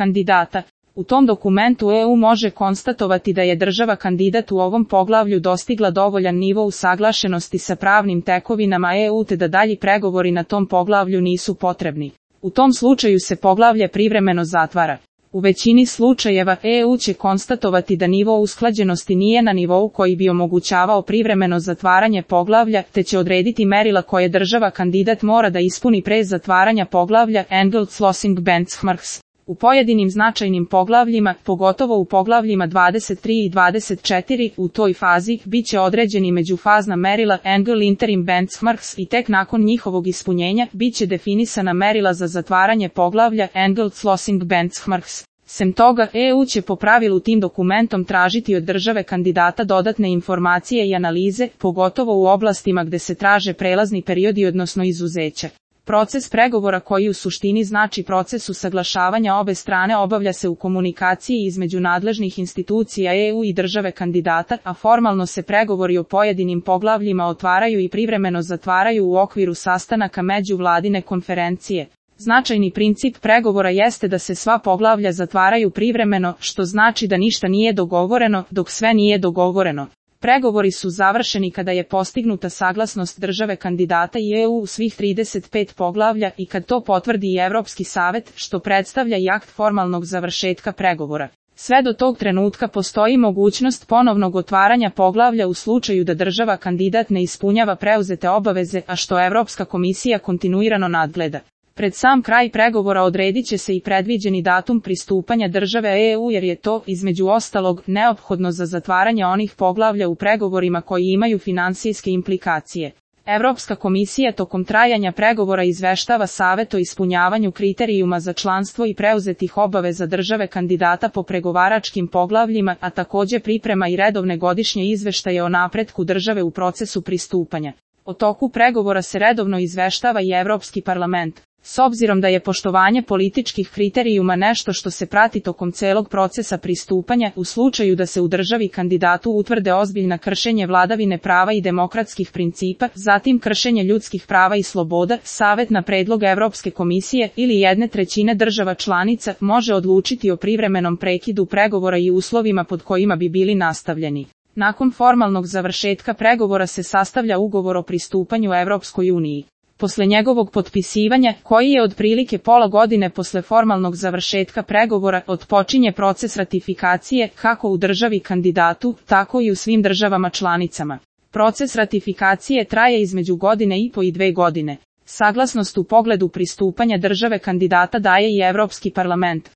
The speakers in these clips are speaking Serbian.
kandidata. U tom dokumentu EU može konstatovati da je država kandidat u ovom poglavlju dostigla dovoljan nivo usaglašenosti sa pravnim tekovinama EU te da dalji pregovori na tom poglavlju nisu potrebni. U tom slučaju se poglavlje privremeno zatvara. U većini slučajeva EU će konstatovati da nivo usklađenosti nije na nivou koji bi omogućavao privremeno zatvaranje poglavlja, te će odrediti merila koje država kandidat mora da ispuni pre zatvaranja poglavlja Endelslossing benchmarks. U pojedinim značajnim poglavljima, pogotovo u poglavljima 23 i 24, u toj fazi biće određeni međufazna merila Engel Interim Benchmarks i tek nakon njihovog ispunjenja biće definisana merila za zatvaranje poglavlja Endelslossing Benchmarks. Sem toga, EU će po pravilu tim dokumentom tražiti od države kandidata dodatne informacije i analize, pogotovo u oblastima gde se traže prelazni periodi odnosno izuzeća. Proces pregovora koji u suštini znači proces usaglašavanja obe strane obavlja se u komunikaciji između nadležnih institucija EU i države kandidata, a formalno se pregovori o pojedinim poglavljima otvaraju i privremeno zatvaraju u okviru sastanaka međuvladine konferencije. Značajni princip pregovora jeste da se sva poglavlja zatvaraju privremeno, što znači da ništa nije dogovoreno, dok sve nije dogovoreno. Pregovori su završeni kada je postignuta saglasnost države kandidata i EU u svih 35 poglavlja i kad to potvrdi i Evropski savet, što predstavlja i akt formalnog završetka pregovora. Sve do tog trenutka postoji mogućnost ponovnog otvaranja poglavlja u slučaju da država kandidat ne ispunjava preuzete obaveze, a što Evropska komisija kontinuirano nadgleda. Pred sam kraj pregovora odredit će se i predviđeni datum pristupanja države EU jer je to, između ostalog, neophodno za zatvaranje onih poglavlja u pregovorima koji imaju finansijske implikacije. Evropska komisija tokom trajanja pregovora izveštava Savet o ispunjavanju kriterijuma za članstvo i preuzetih obaveza države kandidata po pregovaračkim poglavljima, a takođe priprema i redovne godišnje izveštaje o napretku države u procesu pristupanja. O toku pregovora se redovno izveštava i Evropski parlament. S obzirom da je poštovanje političkih kriterijuma nešto što se prati tokom celog procesa pristupanja, u slučaju da se u državi kandidatu utvrde ozbiljna kršenje vladavine prava i demokratskih principa, zatim kršenje ljudskih prava i sloboda, Savet na predlog Evropske komisije ili 1/3 država članica može odlučiti o privremenom prekidu pregovora i uslovima pod kojima bi bili nastavljeni. Nakon formalnog završetka pregovora se sastavlja ugovor o pristupanju Evropskoj uniji. Posle njegovog potpisivanja, koji je otprilike pola godine posle formalnog završetka pregovora, otpočinje proces ratifikacije, kako u državi kandidatu, tako i u svim državama članicama. Proces ratifikacije traje između godine i po i 2 godine. Saglasnost u pogledu pristupanja države kandidata daje i Evropski parlament.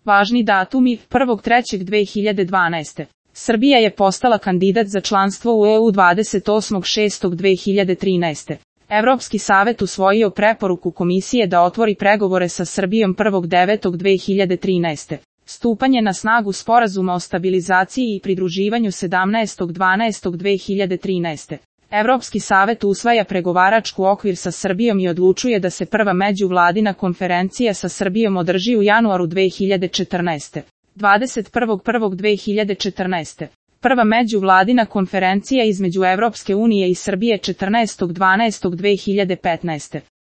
Važni datumi: 1.3.2012. Srbija je postala kandidat za članstvo u EU 28.6.2013. Evropski savet usvojio preporuku komisije da otvori pregovore sa Srbijom 1.9.2013. Stupanje na snagu sporazuma o stabilizaciji i pridruživanju 17.12.2013. Evropski savet usvaja pregovaračku okvir sa Srbijom i odlučuje da se prva međuvladina konferencija sa Srbijom održi u januaru 2014. 21.1.2014. Prva međuvladina konferencija između Evropske unije i Srbije 14.12.2015.